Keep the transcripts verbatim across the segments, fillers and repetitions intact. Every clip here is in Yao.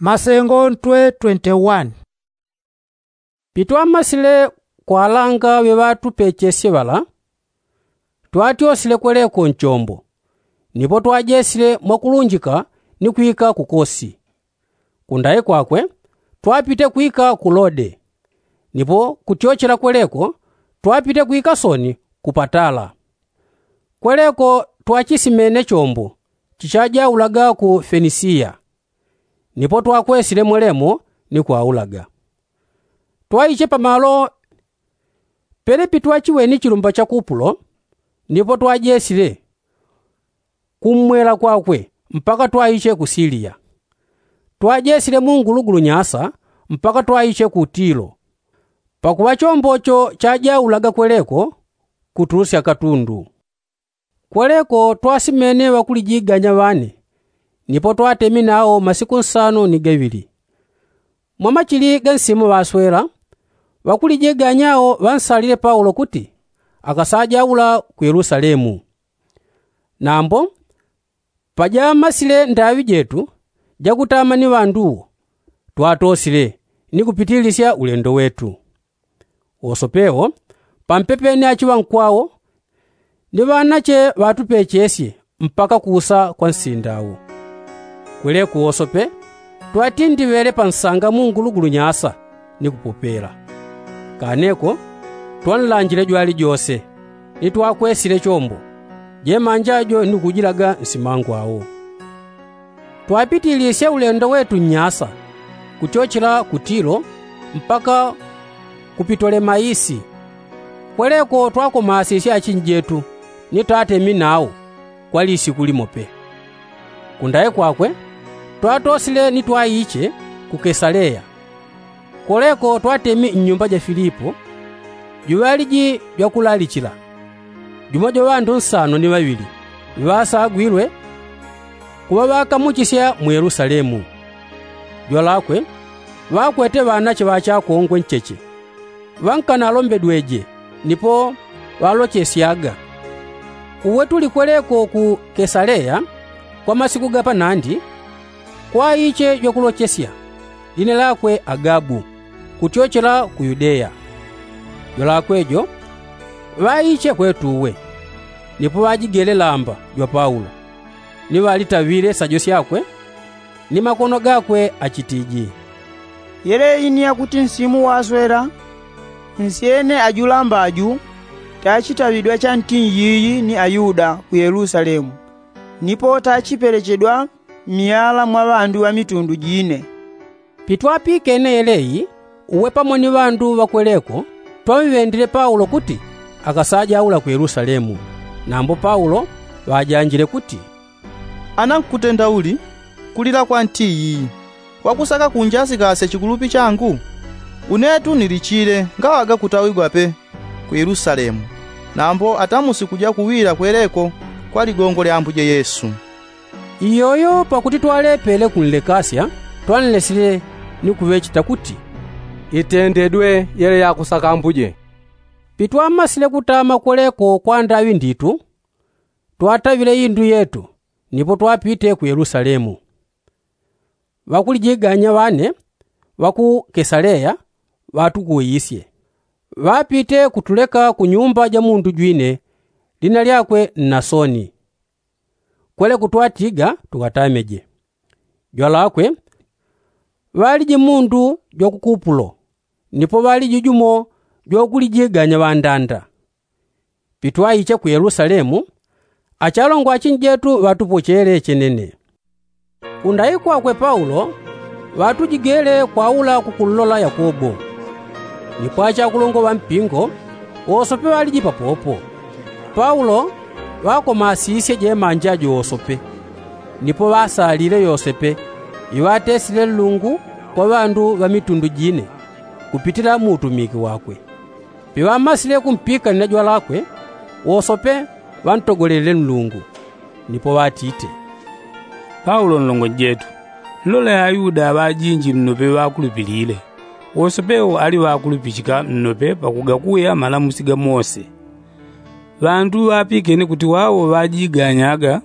Masengo ntwe twenty-one. Pitwamasile kwalanga ŵeŵatupechesye ŵala, twatyosile kweleko nchombo, nipo twajesile mwakulunjika ni kwika ku kosi. Kundayi kwakwe twapite kwika ku lode, nipo kutyochela kweleko twapite kwika soni ku patala. Kweleko twachisimene chombo chichajaulaga ku fenisiya, nipo twakwesile mwelemo ni kwaulaga. Twaiche pamalo pele pitwachiweni chilumba cha kupulo, nipo twajesile kummwela kwakwe mpaka twaiche ku siliya. Twajesile mungulugulu nyasa mpaka twaiche ku tilo, pakuŵa chombo cho chajaulaga kweleko kutulusya katundu. Kweleko twasimene ŵakulijiganya ŵane, nipo twatemi nawo masiku nsano ni gaŵili. Mwamachili ga nsimu ŵaswela, ŵakulijiganya awo ŵansalile paulo kuti akasajaula ku yelusalemu. Nambo pajamasile ndaŵi jetu jakutama ni ŵandu wo, twatosile ni kupitilisya ulendo wetu. Wosope wo pampepeni achiŵankwawo ni ŵanache ŵatupechesye mpaka kuusa kwa nsinda wo. Kweleko wosope twatindiŵele pa nsanga mungulugulu nyasa ni kupopela. Kaneko twanlanjile jwalijose ni twakwesile chombo, jemanja jo ni kujilaga nsimangwawo. Twapitilisye ulendo wetu nnyasa kutyochela ku tilo mpaka ku pitolemaisi. Kweleko twakomasisye achinjetu ni twatemi nawo kwa lisiku limo pe. Kundaye kwakwe twatosile ni twaiche ku kesaleya. Kweleko twatemi nnyumba ja filipo, juŵaliji jwakulalichila, jumo jwa ŵandu nsano ni ŵaŵili ŵasagwilwe kuŵa ŵakamuchisya mu yelusalemu. Jwalakwe ŵakwete ŵanache ŵachakongwe ncheche, ŵankanalombedweje nipo ŵalochesyaga. Uwe tuli kweleko ku kesaleya kwa masiku ga panandi, kwaiche jwakulochesya, line lakwe agabu, kutyochela ku yudeya. Jwalakwe jo ŵaiche kwetu uwe, nipo ŵajigele lamba jwa paulo, ni ŵalitaŵile sajo syakwe ni makono gakwe achitiji. Yeleyi ni yakuti nsimu waswela, nsyene ajulamba aju tachitaŵidwa chanti nyiyi ni ayuda ku yelusalemu, nipo tachipelechedwa myala mwa ŵandu ŵa mitundu jine. Pitwapikene yeleyi, uwe pamo ni ŵandu ŵakweleko twamŵendile paulo kuti akasajaula ku yelusalemu. Nambo paulo ŵajanjile kuti, ana nkutendauli kulila kwa nti iyi, wakusaka kunjasikasya chikulupi changu? Unetu nilichile ngaŵaga kutawigwa pe ku yelusalemu, nambo atamusi kuja kuwila kweleko kwa ligongo lya ambuje yesu. Iyoyo pakuti twalepele kunlekasya, twanlesile ni kuŵecheta kuti, itendedwe yele yakusaka ambuje. Pitwamasile kutama kweleko kwa ndaŵi nditu, twataŵile indu yetu nipo twapite ku yelusalemu. Ŵakulijiganya ŵane ŵa ku kesaleya ŵatukuwisye, ŵapite kutuleka ku nyumba ja mundu jwine lina lyakwe nnasoni. Kweleko twatiga tukatameje. Jwalakwe ŵaliji mundu jwa ku kupulo, nipo ŵaliji jumo jwakulijiganya ŵandanda. Pitwaiche ku yelusalemu, achalongwa achinjetu ŵatupochele chenene. Kundayi kwakwe paulo ŵatujigele kwaula kukunlola yakobo. Nipo achakulongwa ŵa mpingo wosope ŵaliji papopo. Paulo ŵakomasisye jemanja jo wosope, nipo ŵasalile yosepe iŵatesile nlungu kwa ŵandu ŵa mitundu jine kupitila mu utumiki wakwe. Piŵamasile kumpikanila jwalakwe, wosope ŵantogolelile nlungu, nipo ŵatite, paulo nlongo njetu, nlole ayuda ŵajinji nnope ŵakulupilile, wosope wo ali ŵakulupichika nnope pakugakuya malamusi ga mose. Ŵandu ŵapikene kuti wawo ŵajiganyaga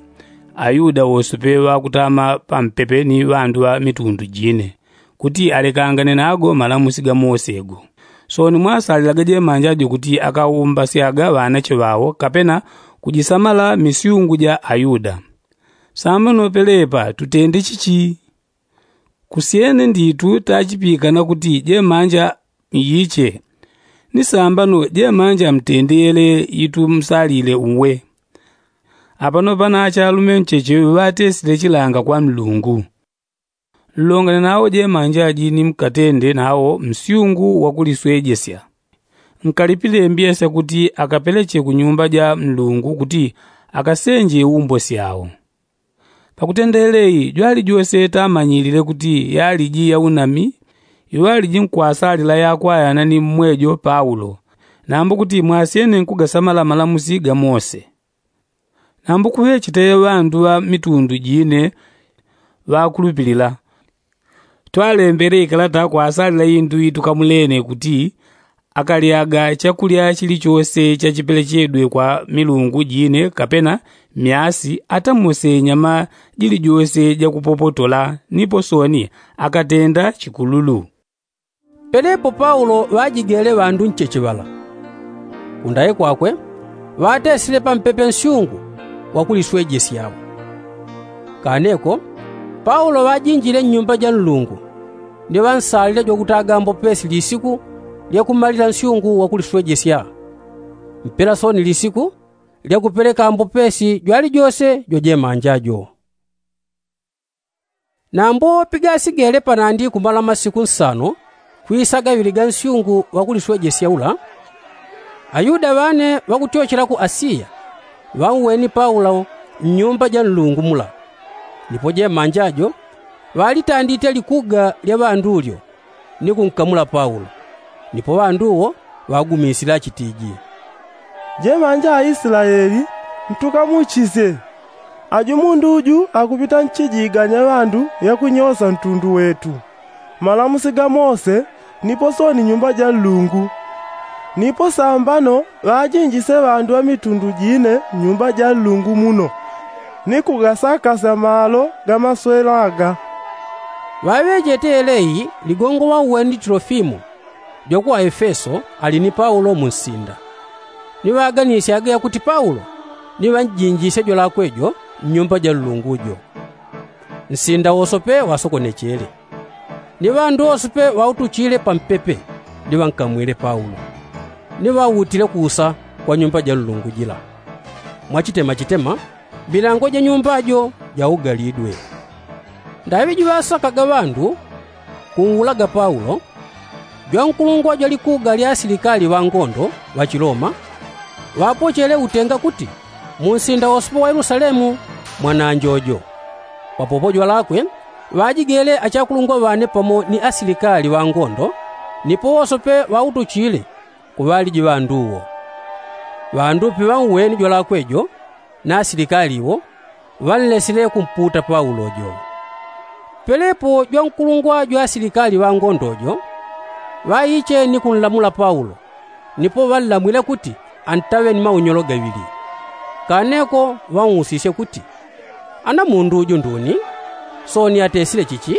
ayuda wosope ŵakutama pampepe ni ŵandu ŵa mitundu jine, kuti alekangane nago malamusi ga mose go. Sooni mwasalilaga jemanja jo kuti akaumbasyaga ŵanache ŵao kapena kujisamala misyungu ja ayuda. Samba nopelepa tutende chichi? Kusyene nditu tachipikana kuti jemanja iyiche. Ni sambano jemanja mtendele yitu msalile uwe. Apano pana achalume ncheche ŵatesile chilanga kwa mlungu. Nlongane nawo jemanja ji ni mkatende nawo msyungu wakuliswejesya. Nkalipile mbyesya kuti akapeleche ku nyumba ja mlungu kuti akasenje umbwe syawo. Pakutendele iyi jwalijose tamanyilile kuti yaliji ya unami iŵaliji nkwasalila yakwayana ni mmwejo paulo, nambo kuti mwasyene nkugasamala malamusi ga mose. Nambo kuŵechete ŵandu ŵa mitundu jine ŵakulupilila. Twalembele ikalata kwasalila indu itukamulene kuti akalyaga chakulya chilichose chachipelechedwe kwa milungu jine kapena myasi atamose nyama jilijose jakupopotola nipo sooni akatenda chikululu. Pelepo paulo ŵajigele ŵandu ncheche ŵala. Kundaye kwakwe ŵatesile pampepe nsyungu wakuliswejesyawo. Kaneko paulo ŵajinjile nnyumba ja nlungu ni ŵansalile jwakutaga mbopesi lisiku lyakumalila nsyungu wakuliswejesya. Mpela sooni lisiku lyakupeleka mbopesi jwalijose jwajemanja jo. Nambo pigasigele panandi kumala masiku nsano kwisa gaŵili ga nsyungu wakuliswejesya ula, ayuda ŵane ŵakutyochela ku asiya ŵauweni paulo mnyumba ja nlungu mula. Nipo jemanja jo ŵalitandite likuga lya ŵandu lyo ni kunkamula paulo. Nipo ŵandu wo ŵagumisile achitiji, jemanja aislaeli, ntukamuchisye. Ajo mundu uju akupita nchijiganya ŵandu yakunyosa ntundu wetu malamusi ga mose nipo sooni nyumba ja nlungu. Nipo sambano ŵajinjise ŵandu ŵa mitundu jine mnyumba ja nlungu muno ni kugasakasya malo ga maswelo aga. Ŵaŵejete yeleyi ligongo ŵauweni tilofimo jwa ku aefeso ali ni paulo mu nsinda. Ni ŵaganisyaga yakuti paulo ni ŵanjinjisye jwalakwe jo mnyumba ja nlungu jo. Nsinda wosope ŵasokonechele. Ni ŵandu wosope ŵautuchile pampepe ni ŵankamwile paulo ni ŵautile kuusa kwa nyumba ja nlungu jila. Mwachitemachitema milango ja nyumba jo jaugalidwe. Ndaŵi jiŵasakaga ŵandu kunwulaga paulo, jwankulungwa jwa likuga lya asilikali ŵa ngondo ŵa chiloma ŵapochele utenga kuti mu nsinda wosope wa yelusalemu mwananjojo. Papopo jwalakwe ŵajigele achakulungwa ŵane pamo ni asilikali ŵa ngondo nipo wosope ŵautuchile kuŵaliji ŵandu wo. Ŵandu piŵauweni jwalakwe jo na asilikali wo ŵanlesile kumputa paulo jo. Pelepo jwankulungwa jwa asilikali ŵa ngondo jo ŵaiche ni kunlamula paulo nipo ŵanlamwile kuti antaŵe ni maunyolo gaŵili. Kaneko ŵausisye kuti, ana mundu uju nduni? Sooni atesile chichi?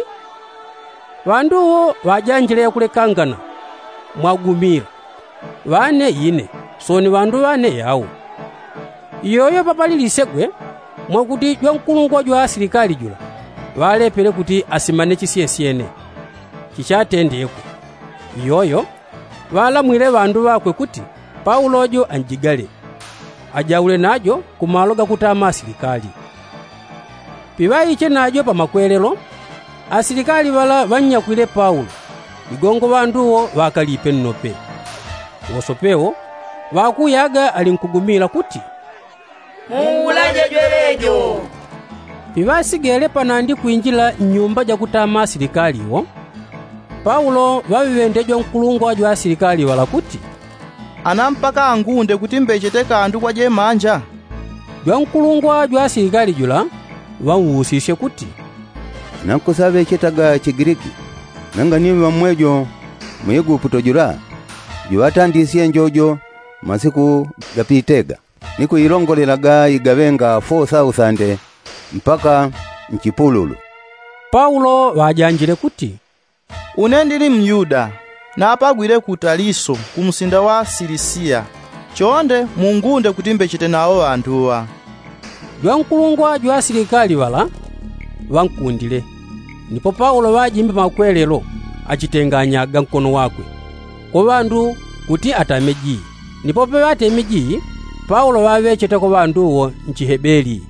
Ŵandu wo ŵajanjile yakulekangana mwagumila, ŵane ine sooni ŵandu ŵane yau. Iyoyo papalilisegwe mwakuti jwankulungwa jwa asilikali jula ŵalepele kuti asimane chisyesyene chichatendeko. Iyoyo ŵalamwile ŵandu ŵakwe kuti paulo jo anjigale ajaule najo kumalo gakutama asilikali. Piŵaiche najo pamakwelelo asilikali ŵala ŵannyakwile paulo ligongo ŵandu wo ŵakalipe nnope. Wosope wo ŵakuyaga alinkugumila kuti, muulaje jwelejo. Piŵasigele panandi kwinjila nnyumba jakutama asilikali wo paulo ŵaŵiŵende jwankulungwa jwa asilikali ŵala kuti, ana mpaka angunde kuti mbechete kandu kwa jemanja? Jwankulungwa jwa asilikali jula ŵausisye kuti, nankusaŵechetaga chigiliki nanga ni ŵammwejo mu eguputo jula juŵatandisye njojo masiku gapitega ni kuilongolelaga igaŵenga fo sausande Mpaka nchipululu. Paulo ŵajanjile kuti, une ndili myuda, napagwile ku taliso ku msinda wa silisiya. Chonde mungunde kuti mbechete nawo ŵanduŵa. Jwankulungwa jwa asilikali ŵala ŵankundile. Nipo paulo ŵajimbe makwelelo achitenganya ga nkono wakwe kwa ŵandu kuti atame jii. Nipo peŵateme jii, paulo ŵaŵechete kwa ŵandu wo nchihebeli.